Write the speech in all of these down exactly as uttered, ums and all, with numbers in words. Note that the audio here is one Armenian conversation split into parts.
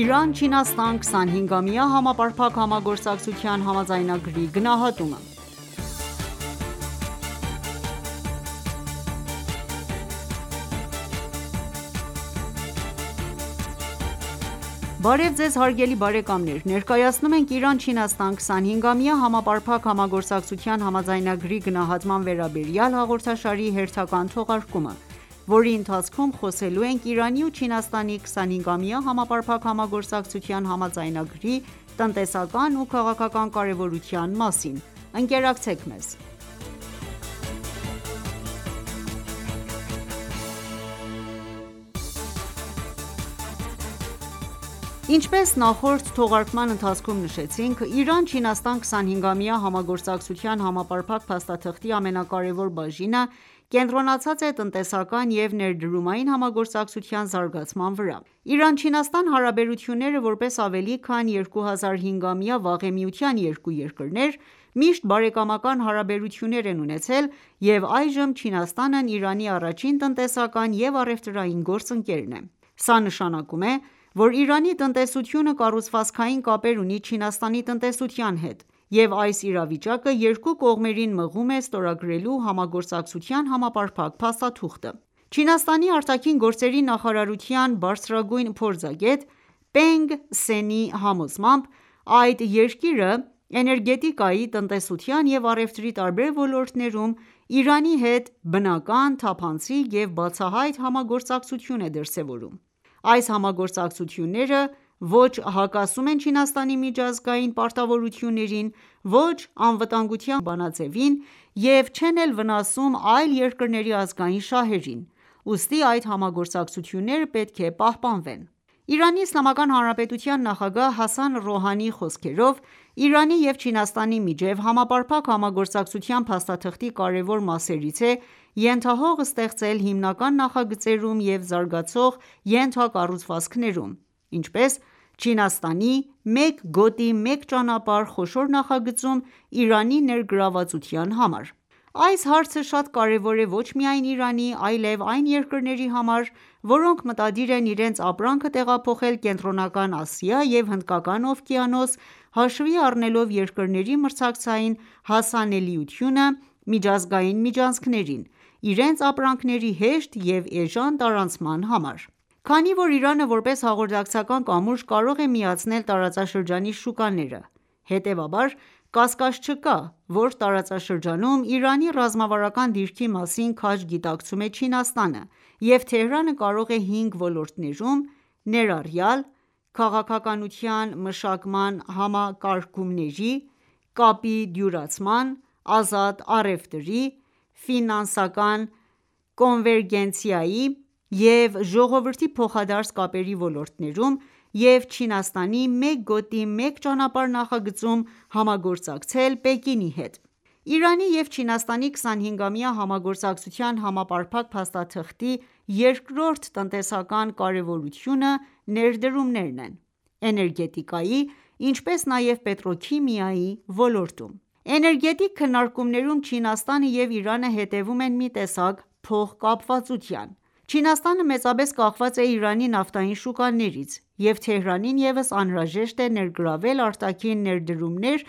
Իրան-Չինաստան քսանհինգամյա համապարփակ համագործակցության համաձայնագրի գնահատումը Բարև Ձեզ հարգելի բարեկամներ: Ներկայացնում ենք «Իրան-Չինաստան քսանհինգամյա համապարփակ համագործակցության համաձայնագրի գնահատման վերաբերյալ» հաղորդաշարի հերթական թողարկումը, որի ընթացքում խոսելու ենք Իրանի ու Չինաստանի քսանհինգամյա համապարփակ համագործակցության համաձայնագրի տնտեսական ու քաղաքական կարևորության մասին: Ընկերակցեք մեզ: Ինչպես նախորդ թողարկման ընթացքում նշեցինք, Իրան-Չինաստան քսանհինգամյա համագործակցության համապարփակ փաստաթղթի ամենակարևոր բաժինը կենտրոնացած է տնտեսական և ներդրումային համագործակցության զարգացման վրա: Իրան-Չինաստան հարաբերությունները, որպես ավելի քան երկու հազար հինգամյա վաղեմիության երկու երկրներ, միշտ բարեկամական հարաբերություններ են ունեցել և այժմ Չինաստանն Իրանի առաջին տնտեսական և առևտրային գործընկերն է: Սա նշանակում է, որ Իրանի տնտեսությունը կառուցվածքային կապեր ունի Չինաստանի տնտեսության հետ, և այս իրավիճակը երկու կողմերին մղում է ստորագրելու համագործակցության համապարփակ փաստաթուղթը: Չինաստանի արտաքին գործերի նախարարության բարձրագույն փորձագետ Պենգ Սենի համոզմամբ, այդ երկիրը էներգետիկայի, տնտեսության և առևտրի տարբեր ոլորտներում Իրանի հետ բնական, թափանցիկ և բացահայտ համագործակցություն է դրսևորում: Այս համագործակցությունները ոչ հակասում են Չինաստանի միջազգային պարտավորություններին, ոչ անվտանգության բանաձևին և չեն էլ վնասում այլ երկրների ազգային շահերին, ուստի այդ համագործակցությունները պետք է պահպանվեն: Իրանի Իսլամական Հանրապետության նախագահ Հասան Ռոհանիի խոսքերով, Իրանի և Չինաստանի միջև համապարփակ համագործակցության փաստաթղթի կարևոր մասերից է ենթահող ստեղծել հիմնական նախագծերում և զարգացող ենթակառուցվածքներում, ինչպես Չինաստանի «Մեկ գոտի, մեկ ճանապարհ» խոշոր նախագծում Իրանի ներգրավվածության համար: Այս հարցը շատ կարևոր է ոչ միայն Իրանի, այլև այն երկրների համար, որոնք մտադիր են իրենց ապրանքը տեղափոխել Կենտրոնական Ասիա և Հնդկական օվկիանոս՝ հաշվի առնելով երկրների մրցակցային հասանելիությունը միջազգային միջանցքներին, իրենց ապրանքների հեշտ և էժան տարանցման համար: Քանի որ Իրանը, որպես հաղորդակցական կամուրջ, կարող է միացնել տարածաշրջանի շուկաները, հետևաբար կասկած չկա, որ տարածաշրջանում Իրանի ռազմավարական դիրքի մասին քաջ գիտակցում է Չինաստանը, և Թեհրանը կարող է հինգ ոլորտներում, ներառյալ քաղաքականության մշակման համակարգումների, կապի դյուրացման, ազատ առևտրի, ֆինանսական կոնվերգենցիայի և ժողովրդի փոխադարձ կապերի ոլորտներում և Չինաստանի «Մեկ գոտի, մեկ ճանապարհ» նախագծում համագործակցել Պեկինի հետ: Իրանի և Չինաստանի քսանհինգամյա համագործակցության համապարփակ փաստաթղթի երկրորդ տնտեսական կարևորությունը ներդրումներն են՝ էներգետիկայի, ինչպես նաև պետրոքիմիայի ոլորտում: Էներգետիկ քննարկումներում Չինաստանը և Իրանը հետևում են մի տեսակ փոխկապվածության: Չինաստանը մեծապես կախված է Իրանի նավթային շուկաներից, և Թեհրանին ևս անհրաժեշտ է ներգրավել արտաքին ներդրումներ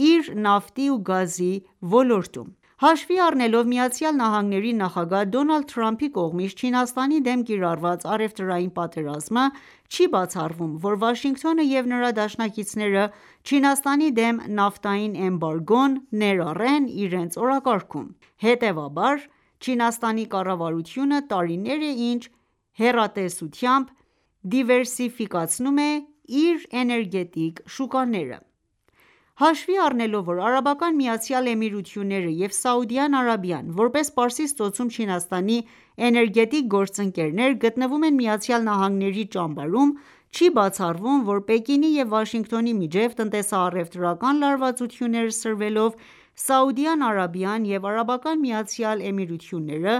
իր նավթի ու գազի ոլորտում: Հաշվի առնելով ԱՄՆ-ի նախագահ Դոնալդ Թրամփի կողմից Չինաստանի դեմ կիրառված առևտրային պատերազմը, չի բացառվում, որ Վաշինգտոնը և նրա դաշնակիցները Չինաստանի դեմ նավթային էմբարգոն ներառեն իրենց օրակարգում: Հետևաբար, Չինաստանի կառավարությունը տարիներ է ինչ հեռատեսությամբ դիվերսիֆիկացնում է իր էներգետիկ շուկաները: Հաշվի առնելով, որ Արաբական Միացյալ Էմիրությունները և Սաուդյան Արաբիան, որպես Պարսից ծոցում Չինաստանի էներգետիկ գործընկերներ, գտնվում են ԱՄՆ-ի ճամբարում, չի բացառվում, որ Պեկինի և Վաշինգտոնի միջև տնտեսա-առևտրական լարվածություններ սրվելով, Սաուդյան Արաբիան և Արաբական Միացյալ Էմիրությունները,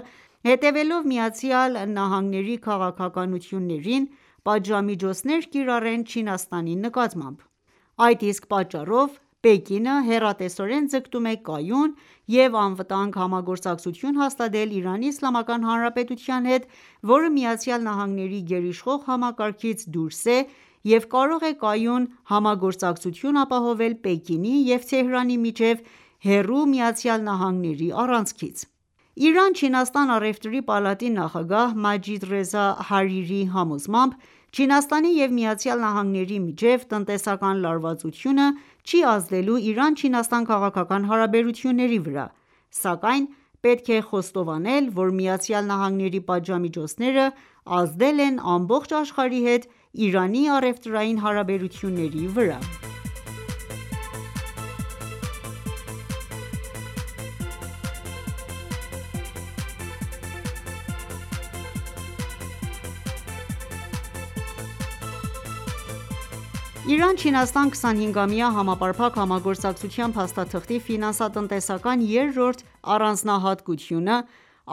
հետևելով ԱՄՆ-ի քաղաքականություններին, պատժամիջոցներ կիրառեն Չինաստանի նկատմամբ: Այդ իսկ պատճառով Պեկինը հեռատեսորեն ձգտում է կայուն և անվտանգ համագործակցություն հաստատել Իրանի Իսլամական Հանրապետության հետ, որը ԱՄՆ-ի գերիշխող համակարգից դուրս է և կարող է կայուն համագործակցություն ապահովել Պեկինի և Թեհրանի միջև հեռու ԱՄՆ-ի առանցքից: Իրան-Չինաստան առևտրի պալատի նախագահ Մաջիդ Ռեզա Հարիրիի համոզմամբ, Չինաստանի և ԱՄՆ-ի միջև տնտեսական լարվածությունը չի ազդելու Իրան-Չինաստան քաղաքական հարաբերությունների վրա, սակայն պետք է խոստովանել, որ ԱՄՆ-ի պատժամիջոցները ազդել են ամբողջ աշխարհի հետ Իրանի առևտրային հարաբերությունների վրա: Իրան-Չինաստան քսանհինգամյա համապարփակ համագործակցության փաստաթղթի ֆինանսատնտեսական երրորդ առանձնահատկությունը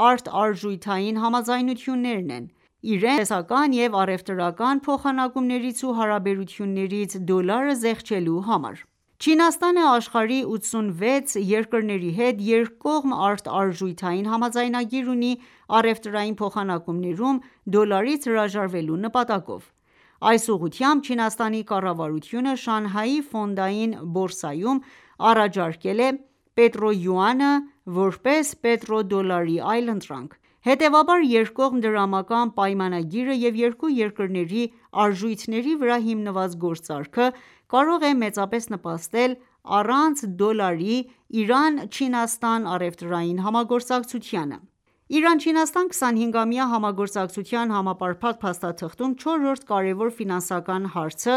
արտարժութային համաձայնություններն են՝ իրենց տնտեսական և առևտրական փոխանակումներից ու հարաբերություններից դոլարը զեղչելու համար: Չինաստանը աշխարհի ութսունվեց երկրների հետ երկկողմ արտարժութային համաձայնագիր ունի առևտրային փոխանակումներում դոլարից հրաժարվելու նպատակով: Այս ուղղությամբ Չինաստանի կառավարությունը Շանհայի ֆոնդային բորսայում առաջարկել է պետրոյուանը որպես պետրոդոլարի այլընտրանք: Հետևաբար, երկկողմ դրամական պայմանագիրը և երկու երկրների արժույթների վրա հիմնված գործարքը կարող է մեծապես նպաստել առանց դոլարի Իրան-Չինաստան առևտրային համագործակցությանը: Իրան-Չինաստան քսանհինգամյա համագործակցության համապարփակ փաստաթղթում չորրորդ կարևոր ֆինանսական հարցը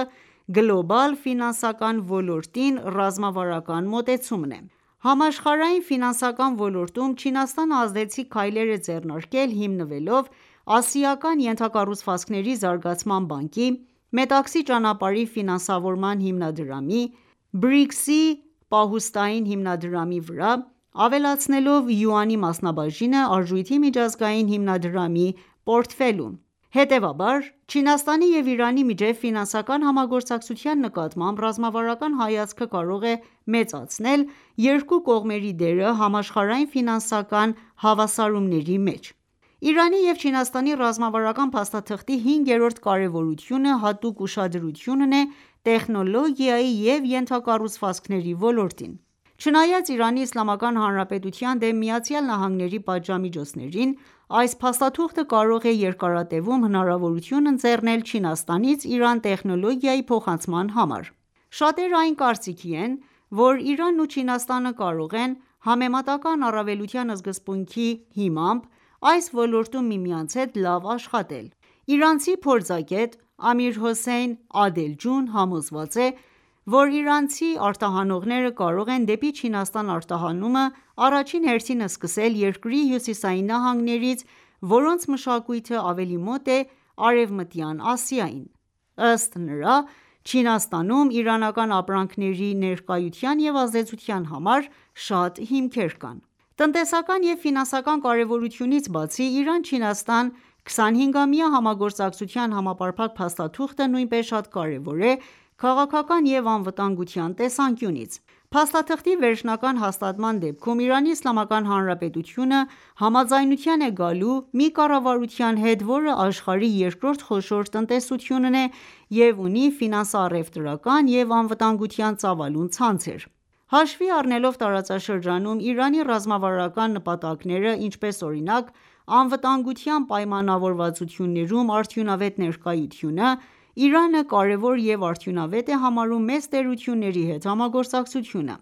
գլոբալ ֆինանսական ոլորտին ռազմավարական մոտեցումն է: Համաշխարհային ֆինանսական ոլորտում Չինաստանը ազդեցիկ քայլեր է ձեռնարկել հիմնվելով Ասիական ենթակառուցվածքների զարգացման բանկի, Մետաքսի ճանապարհի ֆինանսավորման հիմնադրամի, բրիքսի պահուստային հիմնադրամի վրա, ավելացնելով յուանի մասնաբաժինը Արժույթի միջազգային հիմնադրամի պորտֆելում: Հետևաբար, Չինաստանի և Իրանի միջև ֆինանսական համագործակցության նկատմամբ ռազմավարական հայացքը կարող է մեծացնել երկու կողմերի դերը համաշխարհային ֆինանսական հավասարումների մեջ: Իրանի և Չինաստանի ռազմավարական փաստաթղթի հինգերորդ կարևորությունը հատուկ ուշադրությունն է տեխնոլոգիայի և ենթակառուցվածքների ոլորտին: Չնայած Իրանի Իսլամական Հանրապետության դեմ ԱՄՆ-ի պատժամիջոցներին, այս փաստաթուղթը կարող է երկարատևում հնարավորություն ընձեռնել Չինաստանից Իրան տեխնոլոգիայի փոխանցման համար: Շատերը այն կարծիքի են, որ Իրանն ու Չինաստանը կարող են համեմատական առավելության սկզբունքի հիմամբ այս ոլորտում միմյանց հետ լավ աշխատել: Իրանցի փորձագետ Ամիր Հոսեյն Ադելջուն համոզված է, որ իրանցի արտահանողները կարող են դեպի Չինաստան արտահանումը առաջին հերթին սկսել երկրի հյուսիսային նահանգներից, որոնց մշակույթը ավելի մոտ է Արևմտյան Ասիային: Ըստ նրա, Չինաստանում իրանական ապրանքների ներկայության և ազդեցության համար շատ հիմքեր կան: Տնտեսական և ֆինանսական կարևորությունից բացի, Իրան-Չինաստան քսանհինգամյա համագործակցության համապարփակ փաստաթուղթը նույնպես շատ կարևոր է քաղաքական և անվտանգության տեսանկյունից: Փաստաթղթի վերջնական հաստատման դեպքում Իրանի Իսլամական Հանրապետությունը համաձայնության է գալու մի կառավարության հետ, որը աշխարհի երկրորդ խոշոր տնտեսությունն է և ունի ֆինանսա-առևտրական և անվտանգության ծավալուն ցանցեր: Հաշվի առնելով տարածաշրջանում Իրանի ռազմավարական նպատակները, ինչպես օրինակ անվտանգության պայմանավորվածություններում արդյունավետ ներկայությունը, Իրանը կարևոր և արդյունավետ է համարում մեծ տերությունների հետ համագործակցությունը: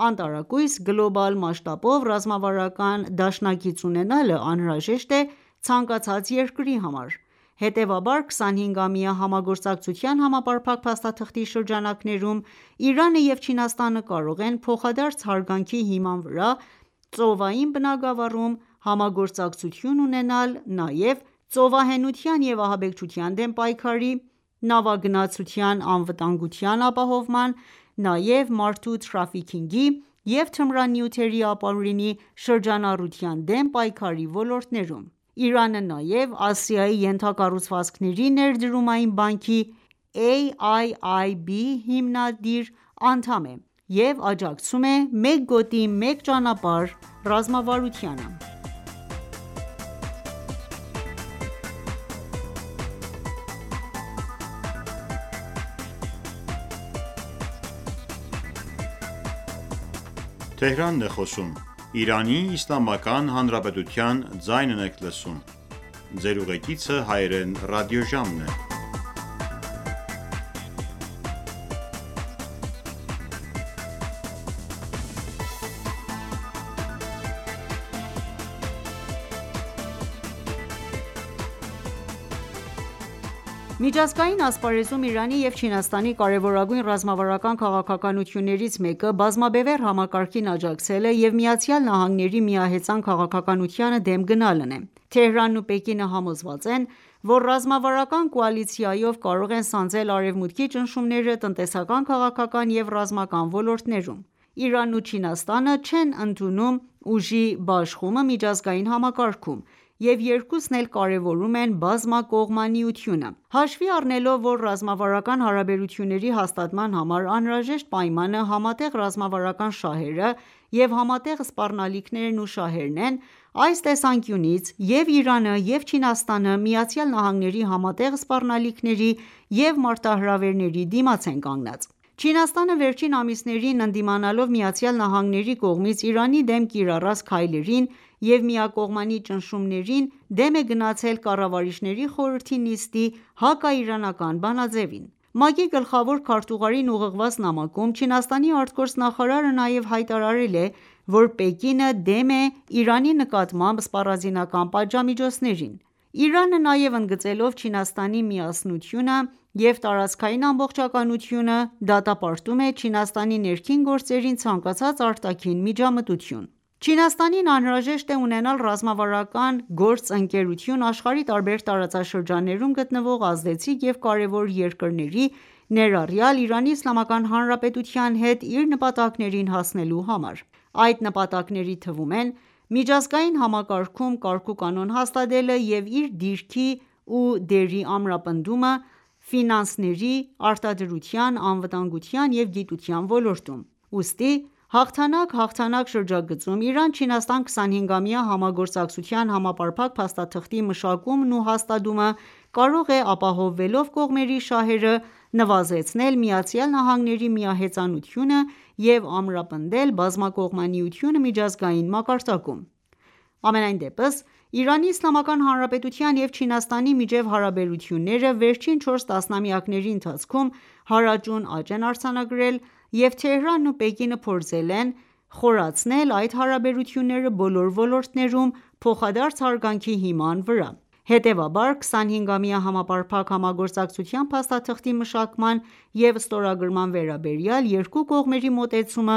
Անտարակույս գլոբալ մասշտաբով ռազմավարական դաշնակից ունենալը անհրաժեշտ է ցանկացած երկրի համար: Հետևաբար, քսանհինգամյա համագործակցության համապարփակ փաստաթղթի շրջանակներում Իրանը և Չինաստանը կարող են փոխադարձ հարգանքի հիման վրա ծովային բնագավառում համագործակցություն ունենալ նաև ծովահենության և ահաբեկչության դեմ պայքարի, նավագնացության անվտանգության ապահովման, նաև մարդու թրաֆիքինգի և թմրանյութերի ապօրինի շրջանառության դեմ պայքարի ոլորտներում: Իրանը նաև Ասիայի ենթակառուցվածքների ներդրումային բանկի A I I B հիմնադիր անդամ է և աջակցում է «Մեկ գոտի մեկ ճանապարհ» ռազմավարությանը: Միջազգային ասպարեզում Իրանի և Չինաստանի կարևորագույն ռազմավարական քաղաքականություններից մեկը բազմաբևեռ համակարգին աջակցելը և ԱՄՆ-ի միահեծան քաղաքականությանը դեմ գնալն է: Թեհրանն ու Պեկինը համոզված են, որ ռազմավարական կոալիցիայով կարող են սանձել Արևմուտքի ճնշումները տնտեսական, քաղաքական և ռազմական ոլորտներում: Իրանն ու Չինաստանը չեն ընդունում ուժի բաշխումը միջազգային համակարգում և երկուսն էլ կարևորում են բազմակողմանիությունը: Հաշվի առնելով, որ ռազմավարական հարաբերությունների հաստատման համար անհրաժեշտ պայմանը համատեղ ռազմավարական շահերը և համատեղ սպառնալիքներն ու շահերն են, այս տեսանկյունից և՛ Իրանը, և՛ Չինաստանը ԱՄՆ-ի համատեղ սպառնալիքների և մարտահրավերների դիմաց են կանգնած: Չինաստանը վերջին ամիսներին ընդդիմանալով ԱՄՆ-ի կողմից Իրանի դեմ կիրառած քայլերին և միակողմանի ճնշումներին, դեմ է գնացել Կառավարիչների խորհրդի նիստի հակաիրանական բանաձևին: ՄԱԿ-ի գլխավոր քարտուղարին ուղղված նամակում Չինաստանի ԱԳ նաև հայտարարել է, որ Պեկինը դեմ է Իրանի նկատմամբ սպառազինական պատժամիջոցներին: Իրանը նաև ընդգծելով Չինաստանի միասնությունը և տարածքային ամբողջականությունը, դատապարտում է Չինաստանի ներքին գործերին ցանկացած արտաքին միջամտություն: Չինաստանին անհրաժեշտ է ունենալ ռազմավարական գործընկերություն աշխարհի տարբեր տարածաշրջաններում գտնվող ազդեցիկ և կարևոր երկրների, ներառյալ ԻԻՀ-ի հետ իր նպատակներին հասնելու համար: Այդ նպատակների թվում են միջազգային համակարգում կարգուկանոն հաստատելը և իր դիրքի ու դերի ամրապնդումը ֆինանսների, արտադրության, անվտանգության և գիտության ոլորտում: Ուստի հաղթանակ-հաղթանակ շրջագծում Իրան-Չինաստան քսանհինգամյա համագործակցության համապարփակ փաստաթղթի մշակումն ու հաստատումը կարող է ապահովելով կողմերի շահերը, նվազեցնել ԱՄՆ-ի միահեծանությունը և ամրապնդել բազմակողմանիությունը միջազգային մակարդակում: Համենայնդեպս, ԻԻՀ-ի և Չինաստանի միջև հարաբերությունները վերջին չորս տասնամյակների ընթացքում հարաճուն աճ են արձանագրել և Թեհրանն ու Պեկինը փորձել են խորացնել այդ հարաբերությունները բոլոր ոլորտներում փոխադարձ հարգանքի հիման վրա: Հետևաբար, քսանհինգամյա համապարփակ համագործակցության փաստաթղթի մշակման և ստորագրման վերաբերյալ երկու կողմերի մոտեցումը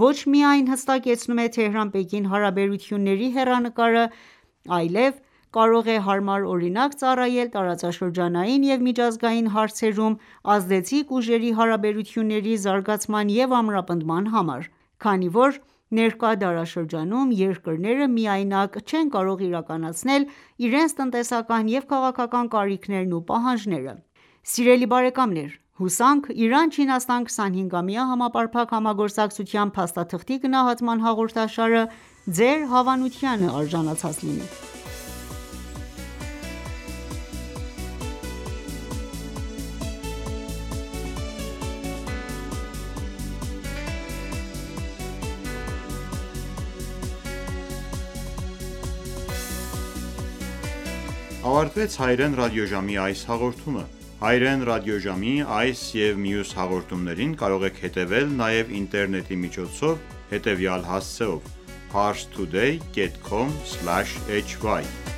ոչ միայն հստակեցնում է Թեհրան-Պեկին հարաբերությունների հեռանկարը, այլև կարող է հարմար օրինակ ծառայել տարածաշրջանային և միջազգային հարցերում ազդեցիկ ուժերի հարաբերությունների զարգացման և ամրապնդման համար, քանի որ ներկա դարաշրջանում երկրները միայնակ չեն կարող իրականացնել իրենց տնտեսական և քաղաքական կարիքներն ու պահանջները: Սիրելի բարեկամներ հուսանք Իրան-Չինաստան քսանհինգամյա համապարփակ համագործակցության փաստաթղթի գնահատման հաղորդաշարը Ձեր հավանությանը արժանացած լինի: Ավարտվեց հայրեն ռադիոժամի այս հաղորդումը: Հայրեն ռադիոժամի այս և մյուս հաղորդումներին կարող եք հետևել նաև ինտերնետի միջոցով հետևյալ հասցեով՝ parstoday.com/hy